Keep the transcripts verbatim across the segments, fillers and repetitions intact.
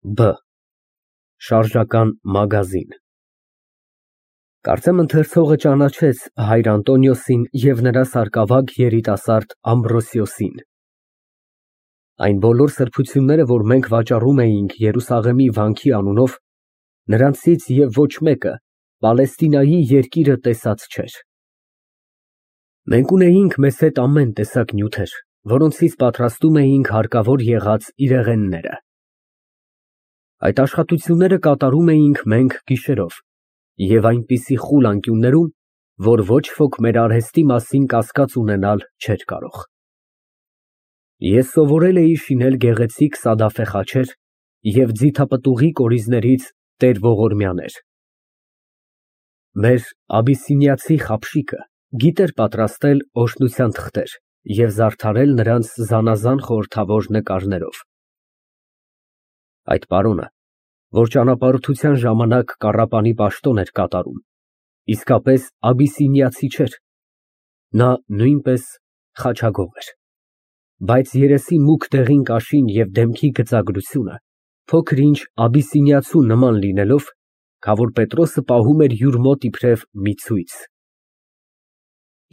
Բ Շարժական մագազին։ Կարծեմ ընթերցողը ճանաչեց հայր Անտոնիոսին և նրա սարկավագ երիտասարդ Ամբրոսիոսին։ Այն բոլոր սրբությունները, որ մենք վաճառում էինք Երուսաղեմի վանքի անունով, նրանցից և ոչ մեկը Պալեստինայի երկիրը տեսած չէր։ Մենք ունեինք մեզ հետ ամեն տեսակ նյութեր, որոնցից պատրաստում էինք հարկավոր եղած իրեղենները։ Այդ աշխատությունները կատարում էինք մենք գիշերով և այնպիսի խուլ անկյուններում, որ ոչ ոք մեր արհեստի մասին կասկած ունենալ չէր կարող։ Ես սովորել էի շինել գեղեցիկ սադաֆե խաչեր և ձիթապտուղի կորիզներից տեր ողորմյաներ։ Մեր աբիսինիացի խաբշիկը գիտեր պատրաստել օրհնության թղթեր և զարդարել նրանց զանազան խորհրդավոր նկարներով։ Այդ պարոնը, որ ճանապարհորդության ժամանակ կառապանի պաշտոն էր կատարում, իսկապես աբիսինիացի չէր, նա նույնպես խաչագող էր, բայց երեսի մուգ դեղին կաշին և դեմքի գծագրությունը փոքր-ինչ աբիսինիացու նման լինելով, քավոր Պետրոսը պահում էր յուր մոտ իբրև մի ցույց։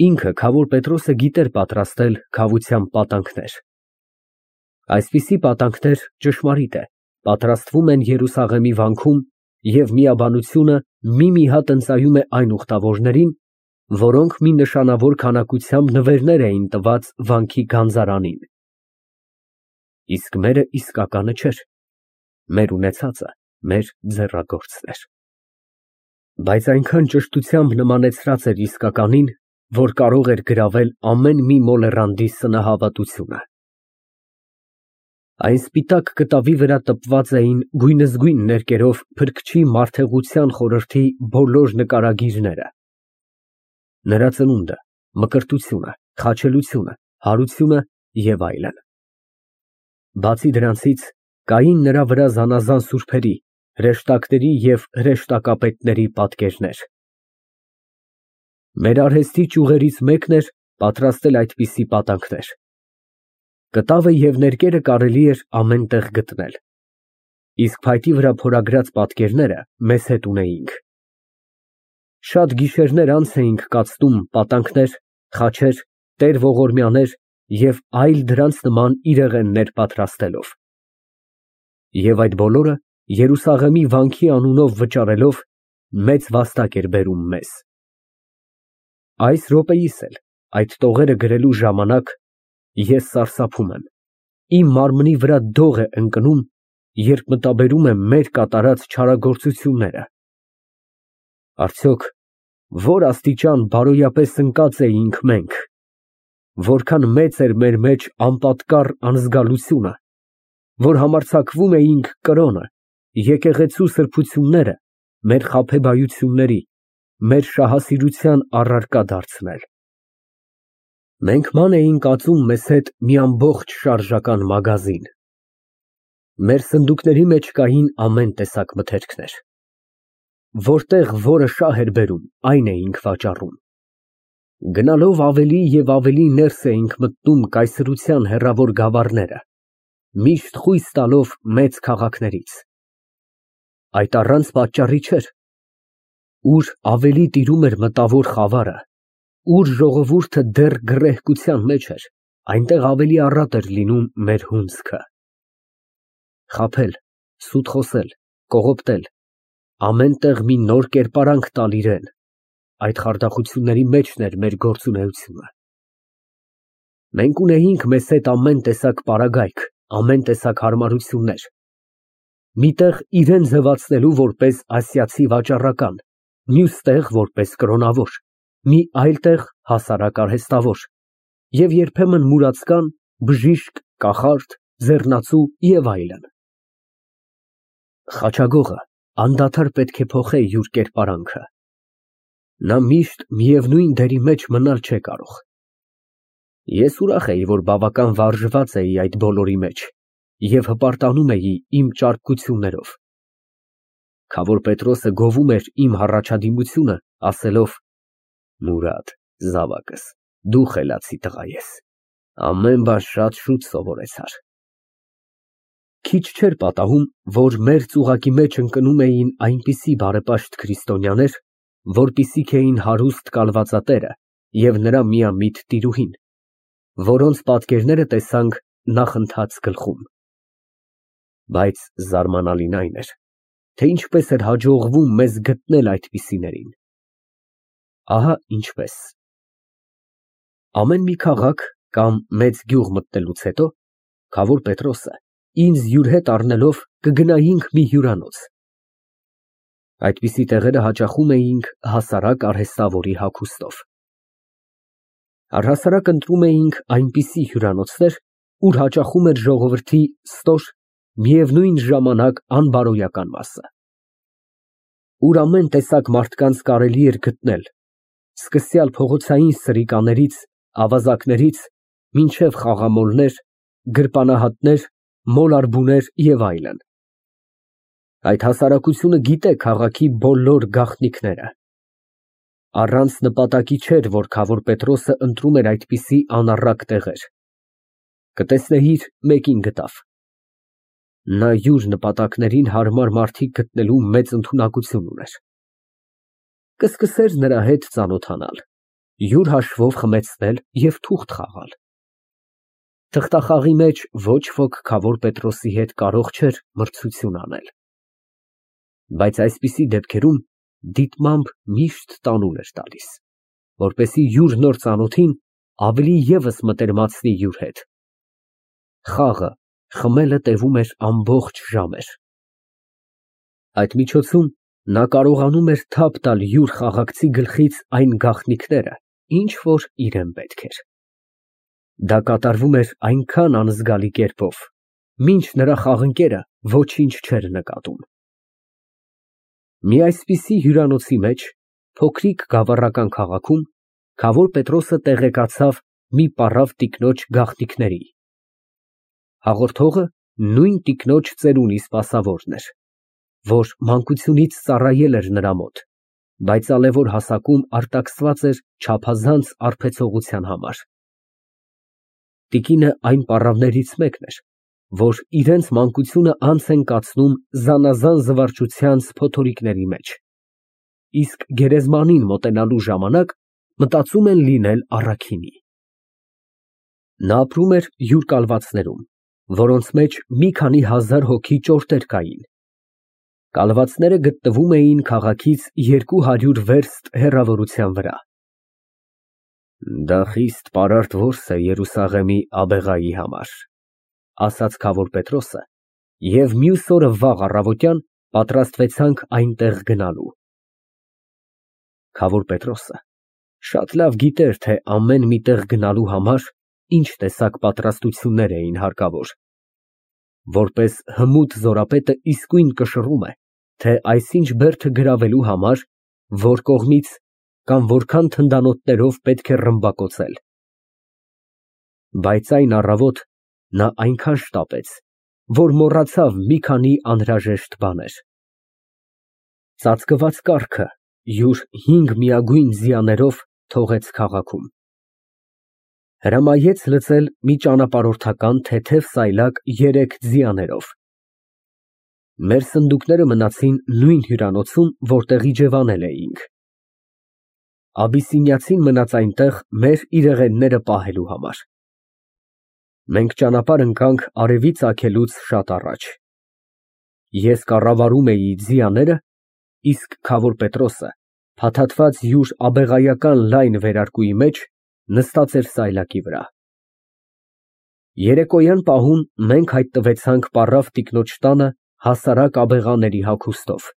Ինքը քավոր Պետրոսը գիտեր պատրաստել քավության պատանքներ։ Այսպիսի պատանքներ, ճշմարիտ է, պատրաստվում են Երուսաղեմի վանքում և միաբանությունը մի֊մի հատ ընծայում է այն ուխտավորներին, որոնք մի նշանավոր քանակությամբ նվերներ էին տված վանքի գանձարանին։ Իսկ մերը իսկականը չէր, մեր ունեցածը մեր ձեռագործն էր։ Բայց այնքան ճշտությամբ նմանեցրած էր իսկականին, որ կարող էր գրավել ամեն մի մոլեռանդի սնահավատությունը։ Այն սպիտակ կտավի վրա տպված էին գույնզգույն ներկերով Փրկչի մարդեղության խորհրդի բոլոր նկարագիրները, նրա ծնունդը, մկրտությունը, խաչելությունը, հարությունը և այլն։ Բացի դրանցից, կային նրա վրա զանազան սուրբերի, հրեշտակների և հրեշտակապետների պատկերներ։ Մեր արհեստի ճյուղերից մեկն էր պատրաստել այդպիսի պատանքներ։ Կտավը և ներկերը կարելի էր ամեն տեղ գտնել, իսկ փայտի վրա փորագրած պատկերները մեզ հետ ունեինք։ Շատ գիշերներ անց էինք կացնում պատանքներ, խաչեր, տեր ողորմյաներ և այլ դրանց նման իրեղեններ պատրաստելով։ Եվ այդ բոլորը Երուսաղեմի վանքի անունով վճարելով, մեծ վաստակ էր բերում մեզ։ Այս րոպեիս էլ, այդ տողերը գրելու ժամանակ, ես սարսափում եմ, իմ մարմնի վրա դող է ընկնում, երբ մտաբերում եմ մեր կատարած չարագործությունները։ Արդյոք ո՞ր աստիճան բարոյապես ընկած էինք մենք, որքան մեծ էր մեր մեջ անպատկառ անզգալությունը, որ համարձակվում էինք կրոնը, եկեղեցու սրբությունները մեր խաբեբայությունների, մեր շահասիրության առարկա դարձնել։ Մենք ման էինք ածում մեզ հետ մի ամբողջ շարժական մագազին։ Մեր սնդուկների մեջ կային ամեն տեսակ մթերքներ։ Որտեղ որը շահ էր բերում, այն էինք վաճառում։ Գնալով ավելի և ավելի ներս էինք մտնում կայսրության հեռավոր գավառները, միշտ խույս տալով մեծ քաղաքներից։ Այդ առանց պատճառի չէր։ Ուր ավելի տիրում էր մտավոր խավարը, ուր ժողովուրդը դեռ գռեհկության մեջ էր, այնտեղ ավելի առատ էր լինում մեր հունձքը։ Խաբել, սուտ խոսել, կողոպտել, ամեն տեղ մի նոր կերպարանք տալ իրան, այդ խարդախությունների մեջն էր մեր գործունեությունը։ Մենք ունեինք մեզ հետ ամեն տեսակ պարագայք, ամեն տեսակ հարմարություններ։ Մի տեղ իրան ձևացնելու որպես ասիացի վաճառական, մյուս տեղ որպես կրոնավոր, մի այլ տեղ հասարակ արհեստավոր և երբեմն մուրացկան, բժիշկ, կախարդ, ձեռնացու և այլն։ Խաչագողը անդադար պետք է փոխե յուր կերպարանքը։ Նա միշտ միևնույն դերի մեջ մնալ չէ կարող։ Ես ուրախ էի, որ բավական վարժված էի այդ բոլորի մեջ և հպարտանում էի իմ ճարպկություններով։ Քավոր Պետրոսը գովում էր իմ հառաջադիմությունը, ասելով. «Մուրադ, զավակս, դու խելացի տղա ես, ամեն բան շատ շուտ սովորեցար»։ Քիչ չէր պատահում, որ մեր ծուղակի մեջ ընկնում էին այնպիսի բարեպաշտ քրիստոնյաներ, որպիսիք էին հարուստ կալվածատերը և նրա միամիտ տիրուհին, որոնց պատկերները տեսանք նախընթաց գլխում։ Բայց զարմանալին այն էր, թե ինչպես էր հաջողվում մեզ գտնել այդպիսիներին։ Ահա ինչպես. Ամեն մի քաղաք կամ մեծ գյուղ մտնելուց հետո Քավոր Պետրոսը ինձ յուր հետ առնելով կգնայինք մի հյուրանոց։ Այդպիսի տեղերը հաճախում էինք հասարակ արհեստավորի հագուստով։ Առհասարակ ընտրում էինք այնպիսի հյուրանոցներ, ուր հաճախում էր ժողովրդի ստոր, միևնույն ժամանակ անբարոյական մասը, ուր ամեն տեսակ մարդկանց կարելի էր գտնել, սկսյալ փողոցային սրիկաներից, ավազակներից, մինչև խաղամոլներ, գրպանահատներ, մոլարբուներ և այլն։ Այդ հասարակությունը գիտե քաղաքի բոլոր գաղտնիքները։ Առանց նպատակի չէր, որ Քավոր Պետրոսը ընտրում էր այդպիսի անառակ տեղեր։ Կտեսնեիր, մեկին գտավ։ Նա յուր նպատակներին հարմար մարդիկ գտնելու մեծ ընդունակություն ուներ։ Կսկսեր նրա հետ ծանոթանալ, յուր հաշվով խմեցնել և թուղթ խաղալ։ Թղթախաղի մեջ ոչ ոք Քավոր Պետրոսի հետ կարող չէր մրցություն անել։ Բայց այսպիսի դեպքերում դիտմամբ միշտ տանուլ էր տալիս, որպեսզի յուր նոր ծանոթին ավելի ևս մտերմացնի յուր հետ։ Խաղը, խմելը տևում էր ամբողջ ժամեր։ Այդ միջոցում նա կարողանում էր թափ տալ յուր խաղաղցի գլխից այն գաղտնիքները, ինչ որ իրան պետք էր։ Դա կատարվում էր այնքան անզգալի կերպով, մինչ նրա խաղընկերը ոչինչ չէր նկատում։ Մի այսպիսի հյուրանոցի մեջ, փոքրիկ գավառական քաղաքում, Քավոր Պետրոսը տեղեկացավ մի պառավ տիկնոջ գաղտնիքների։ Հաղորդողը նույն տիկնոջ ծերունի սպասավորն էր, որ մանկությունից ծառայել էր նրա մոտ, բայց ալևոր հասակում արտաքսված էր չափազանց արբեցողության համար։ Տիկինը այն պառավներից մեկն էր, որ իրենց մանկությունը անց են կացնում զանազան զվարճությանց փոթորիկների մեջ, իսկ գերեզմանին մոտենալու ժամանակ մտածում են լինել առաքինի։ Նա ապրում էր յուր կալվածներում, որոնց մեջ մի քանի հազար հոգի ճորտեր կային։ Կալվածները գտնվում էին քաղաքից երկու հարյուր վերստ հեռավորության վրա։ Դա խիստ պարարտ որս է Երուսաղեմի աբեղայի համար, ասաց Քավոր Պետրոսը, և մյուս օրը վաղ առավոտյան պատրաստվեցանք այնտեղ գնալու։ Քավոր Պետրոսը շատ լավ գիտեր, թե ամեն մի տեղ գնալու համար ինչ տեսակ պատրաստություններ էին հարկավոր։ Որպես հմուտ զորապետը իսկույն կշռում է, թե այսինչ բերդը գրավելու համար որ կողմից կամ որքան թնդանոթներով պետք է ռմբակոծել։ Բայց այն առավոտ նա այնքան շտապեց, որ մոռացավ մի քանի անհրաժեշտ բաներ։ Ծածկված կառքը յուր հինգ միագույն ձիաներով թողեց քաղաքում։ Հրամայեց լցել մի ճանապարհորդական թեթև սայլակ երեք ձիաներով։ Մեր սնդուկները մնացին նույն հյուրանոցում, որտեղ իջևանել էինք։ Աբիսինիացին մնաց այնտեղ մեր իրեղենները պահելու համար։ Մենք ճանապարհ ընկանք արևի ծագելուց շատ առաջ։ Ես կառավարում էի ձիաները, իսկ Քավոր Պետրոսը, փաթաթված յուր աբեղայական լայն վերարկուի մեջ, նստած էր սայլակի վրա։ Երեկոյան պահուն մենք հայտնվեցանք պառավ տիկնոջ տանը հասարակ աբեղաների հագուստով,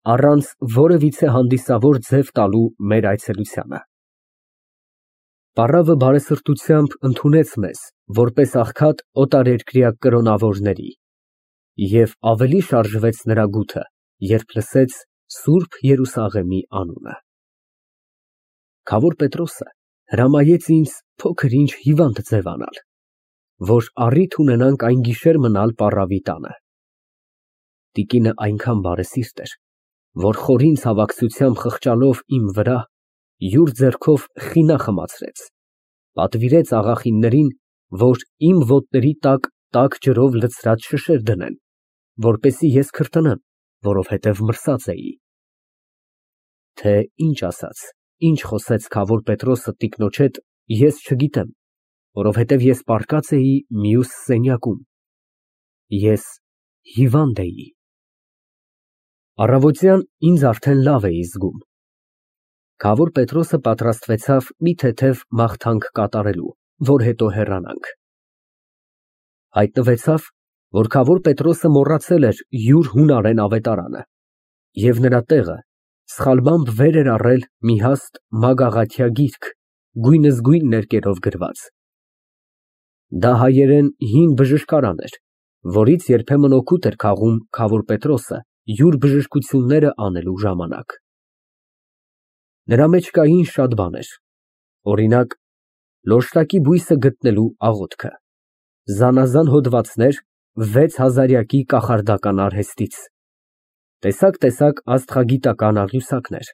առանց որևիցե հանդիսավոր ձև տալու մեր այցելությանը։ Պառավը բարեսրտությամբ ընդունեց մեզ, որպես աղքատ օտարերկրյա կրոնավորների, և ավելի շարժվեց նրա գութը, երբ լսեց Սուրբ Երուսաղեմի անունը։ Քավոր Պետրոսը հրամայեց ինձ փոքր-ինչ հիվանդ ձևանալ, որ առիթ ունենանք այն գիշեր մնալ պառավի տանը։ Տիկինը այնքան բարեսիրտ էր, որ խորին ցավակցությամբ խղճալով իմ վրա, յուր ձեռքով խինա խմացրեց, պատվիրեց աղախիններին, որ իմ ոտների տակ տաք ջրով լցրած շշեր դնեն, որպեսզի ես քրտնեմ, որովհետև մրսած էի։ Թե ինչ ասաց, ինչ խոսեց քավոր Պետրոսը տիկնոջ հետ, ես չգիտեմ, որովհետև ես պառկած էի մյուս սենյակում։ Ես հիվանդ էի։ Առավոտյան ինձ արդեն լավ էի զգում։ Քավոր Պետրոսը պատրաստվեցավ մի թեթև մաղթանք կատարելու, որ հետո հեռանանք։ Հայտնվեցավ, որ քավոր Պետրոսը մոռացել էր յուր հունարեն ավետարանը, և նրա տեղը սխալմամբ վեր էր առել մի հաստ մագաղաթյա գիրք, գույնզգույն ներկերով գրված։ Դա հայերեն հին բժշկարան էր, որից երբեմն օգուտ էր քաղում քավոր Պետրոսը յուր բժշկությունները անելու ժամանակ։ Նրա մեջ կային շատ բաներ, օրինակ, լոշտակի բույսը գտնելու աղոթքը, զանազան հոդվածներ վեց հազարյակի կախարդական արհեստից, տեսակ֊տեսակ աստղագիտական աղյուսակներ,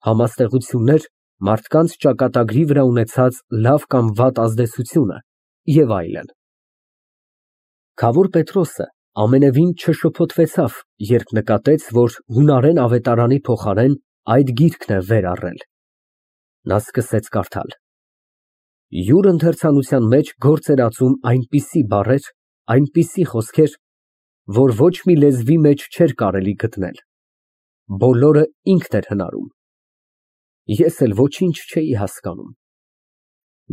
համաստեղություններ մարդկանց ճակատագրի վրա ունեցած լավ կամ վատ ազդեցությունը և այլն։ Քավոր Պետրոսը ամենևին չշփոթվեցավ, երբ նկատեց, որ հունարեն ավետարանի փոխարեն այդ գիրքն է վեր առել։ Նա սկսեց կարդալ։ Յուր ընթերցանության մեջ գործ էր ածում այնպիսի բառեր, այնպիսի խոսքեր, որ ոչ մի լեզվի մեջ չէր կարելի գտնել։ Բոլորը ինքն էր հնարում։ Ես էլ ոչինչ չէի հասկանում։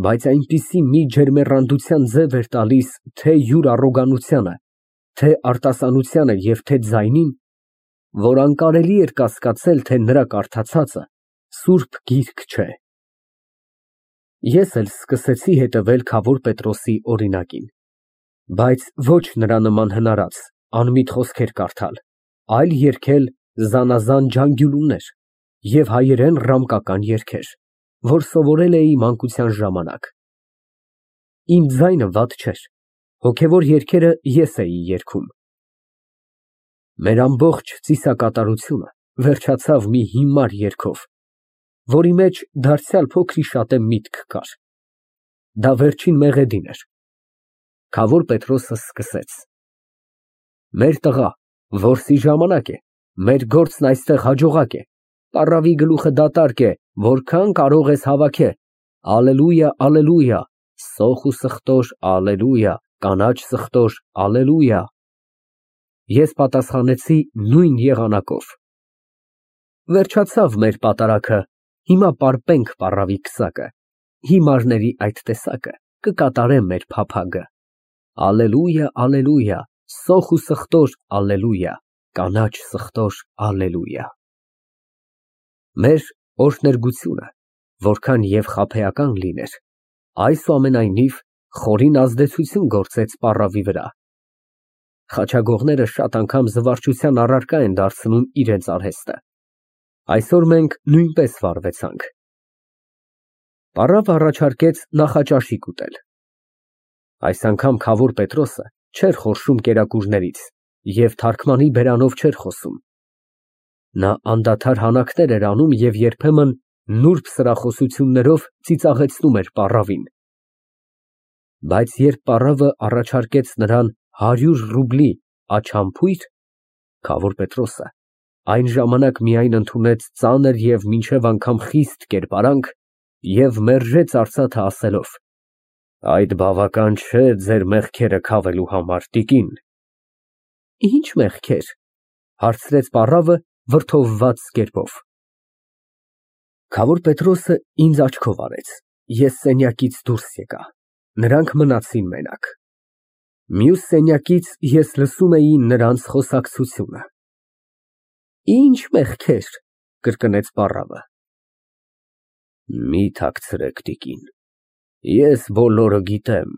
Բայց այնպիսի մի ջերմեռանդության ձև էր տալիս թե յուր առոգանությանը, թե արտասանությանը և թե ձայնին, որ անկարելի էր կասկածել, թե նրա կարդացածը սուրբ գիրք չէ։ Ես էլ սկսեցի հետևել քավոր Պետրոսի օրինակին, բայց ոչ նրա նման հնարած, անմիտ խոսքեր կարդալ, այլ երգել զանազան ջանգյուլուներ և հայերեն ռամկական երգեր, որ սովորել էի մանկության ժամանակ։ Իմ ձայնը վատ չէր, հոգևոր երգերը ես էի երգում։ Մեր ամբողջ ծիսակատարությունը վերջացավ մի հիմար երգով, որի մեջ դարձյալ փոքրիշատե միտք կար։ Դա վերջին մեղեդին էր։ Քավոր Պետրոսը սկսեց. Մեր տղա, որսի ժամանակ է, մեր գործն այստեղ հաջողակ է, պառավի գլուխը դատարկ է, որքան կարող ես հավաքը, ալելույա, ալելույա, սոխ ու սխտոր, ալելույա, կանաչ սխտոր, ալելույա։ Ես պատասխանեցի նույն եղանակով. Վերջացավ մեր պատարագը, հիմա պարպենք պառավի քսակը, հիմարների այդ տեսակը, կկատարեմ մեր փափագը, ալելույա, ալելույա, սոխ ու սխտոր, ալելույա, կանաչ սխտոր, ալելույա։ Մեր օրհներգությունը, որքան և խաբեական լիներ, այսուամենայնիվ խորին ազդեցություն գործեց պառավի վրա։ Խաչագողները շատ անգամ զվարճության առարկա են դարձնում իրենց արհեստը։ Այսօր մենք նույնպես վարվեցանք։ Պառավը առաջարկեց նախաճաշիկ ուտել։ Այս անգամ քավոր Պետրոսը չէր խորշում կերակուրներից և թարգմանի բերանով չէր խոսում։ Նա անդադար հանակներ էր անում և երբեմն նուրբ սրախոսություններով ծիծաղեցնում էր պառավին։ Բայց երբ պառավը առաջարկեց նրան հարյուր ռուբլի աչամփույր, քավոր Պետրոսը այն ժամանակ միայն ընդունեց ծանր և մինչև անգամ խիստ կերպարանք և մերժեց արծաթը ասելով. Այդ բավական չէ ձեր մեղքերը քավելու համար, տիկին։ Ինչ մեղքեր, հարցրեց պառավը վրդովված կերպով։ Քավոր Պետրոսը ինձ աչքով արեց, ես սենյակից դուրս եկա, նրանք մնացին մենակ։ Մյուս սենյակից ես լսում էի նրանց խոսակցությունը։ Ինչ մեղքեր, կրկնեց պառավը։ Մի թաքցրեք, տիկին, ես բոլորը գիտեմ,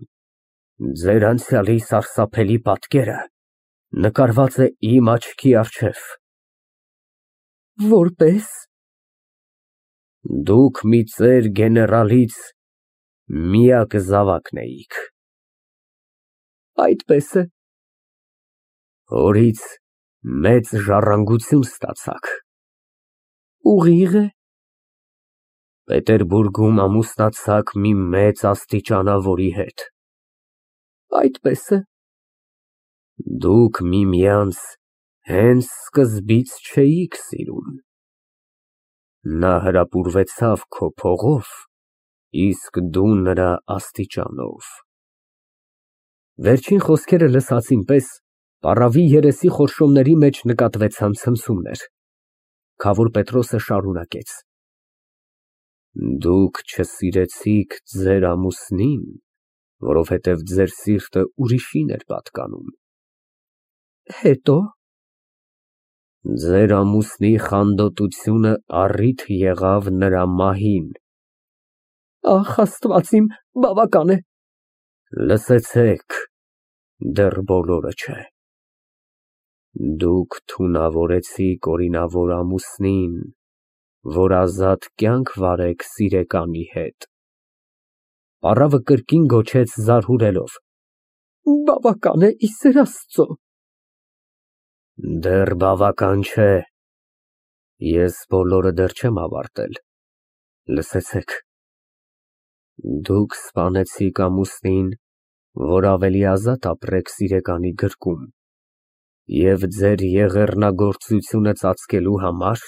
ձեր անցյալի սարսափելի պատկերը նկարված է իմ աչքի առջև։ Որպես։ Դուք մի ծեր գեներալից միակ զավակն էիք։ Այդպես է։ Հորից մեծ ժառանգություն ստացաք։ Ուղիղ է։ Պետերբուրգում ամուսնացաք մի մեծ աստիճանավորի հետ։ Այդպես է։ Դուք միմյանց հենց սկզբից չէիք սիրում։ Նա հրապուրվեցավ քո փողով, իսկ դու նրա աստիճանով։ Վերջին խոսքերը լսածին պես պառավի երեսի խորշոմների մեջ նկատվեցան ցնցումներ։ Քավոր Պետրոսը շարունակեց. Դուք չսիրեցիք ձեր ամուսնին, որովհետև ձեր սիրտը ուրիշին էր պատկանում։ Հետո՞։ Ձեր ամուսնի խանդոտությունը առիթ եղավ նրա մահին։ Ախ, Աստված իմ, բավական է։ Լսեցեք, դեռ բոլորը չէ։ Դուք թունավորեցիք օրինավոր ամուսնին, որ ազատ կյանք վարեք սիրեկանի հետ։ Պառավը կրկին գոչեց զարհուրելով. Բավական է, ի սեր Աստծո։ Դեռ բավական չէ։ Ես բոլորը դեռ չեմ ավարտել։ Լսեցեք։ Դուք սպանեցիք ամուսնին, որ ավելի ազատ ապրեք սիրեկանի գրկում, և ձեր եղեռնագործությունը ծածկելու համար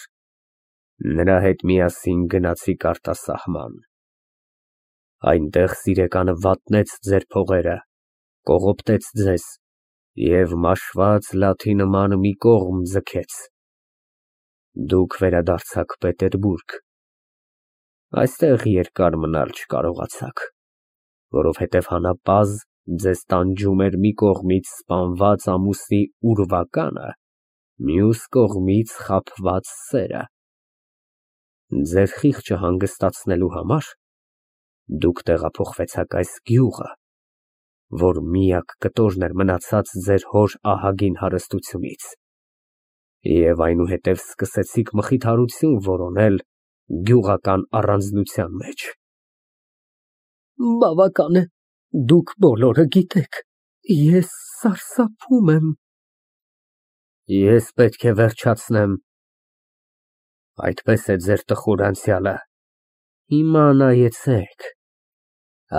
նրա հետ միասին գնացիք արտասահման։ Այնտեղ սիրեկանը վատնեց ձեր փողերը, կողոպտեց ձեզ և մաշված լաթի նման մի կողմ ձգեց։ Դուք վերադարձաք Պետերբուրգ։ Այստեղ երկար մնալ չկարողացաք, որովհետև հանապազմ ձեզ տանջում էր մի կողմից սպանված ամուսնի ուրվականը, մյուս կողմից խաբված սերը։ Ձեր խիղճը հանգստացնելու համար դուք տեղափոխվեցաք այս գյուղը, որ միակ կտորն էր մնացած ձեր հոր ահագին հարստությունից, և այնուհետև սկսեցիք մխիթարություն որոնել գյուղական առանձնության մեջ։ Բավական է, դուք բոլորը գիտեք, ես սարսափում եմ։ Ես պետք է վերջացնեմ։ Այդպես է ձեր տխուր անցյալը։ Հիմա նայեցեք,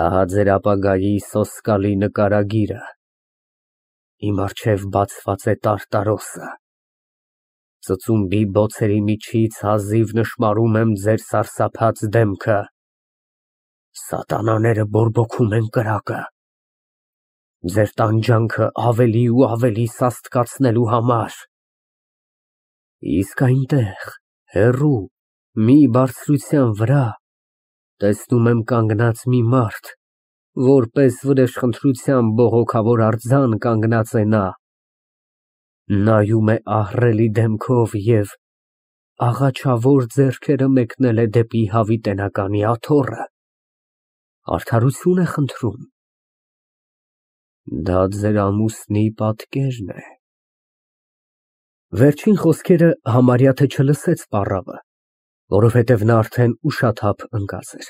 ահա ձեր ապագայի սոսկալի նկարագիրը։ Իմ առջև բացված է տարտարոսը։ Ծծումբի բոցերի միջից հազիվ նշմարում եմ ձեր սարսափած դեմքը։ Սատանաները բորբոքում են կրակը, ձեր տանջանքը ավելի ու ավելի սաստկացնելու համար։ Իսկ այնտեղ, հեռու, մի բարձրության վրա, տեսնում եմ կանգնած մի մարդ, որպես վրեժխնդրության բողոքավոր արձան կանգնած է նա, նայում է ահռելի դեմքով և աղաչավոր ձեռքերը մեկնել է դեպի հավիտենականի աթոռը, արդարություն է խնդրում։ Դա ձեր ամուսնի պատկերն է։ Վերջին խոսքերը համարյա թե չլսեց պառավը, որովհետև նա արդեն ուշաթափ ընկած էր։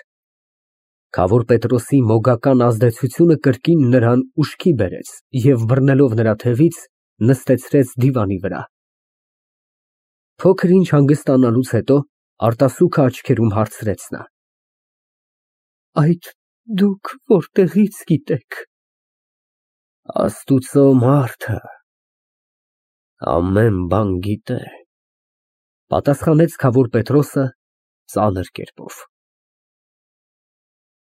Քավոր Պետրոսի մոգական ազդեցությունը կրկին նրան ուշքի բերեց և բռնելով նրա թևից, նստեցրեց դիվանի վրա։ Փոքր ինչ հանգստանալուց հետո արտասուքը աչքերում հարցրեց նա. Այդ դուք որտեղի՞ց գիտեք։ Աստուծո մարդը ամեն բան գիտե, պատասխանեց քավոր Պետրոսը ծանր կերպով։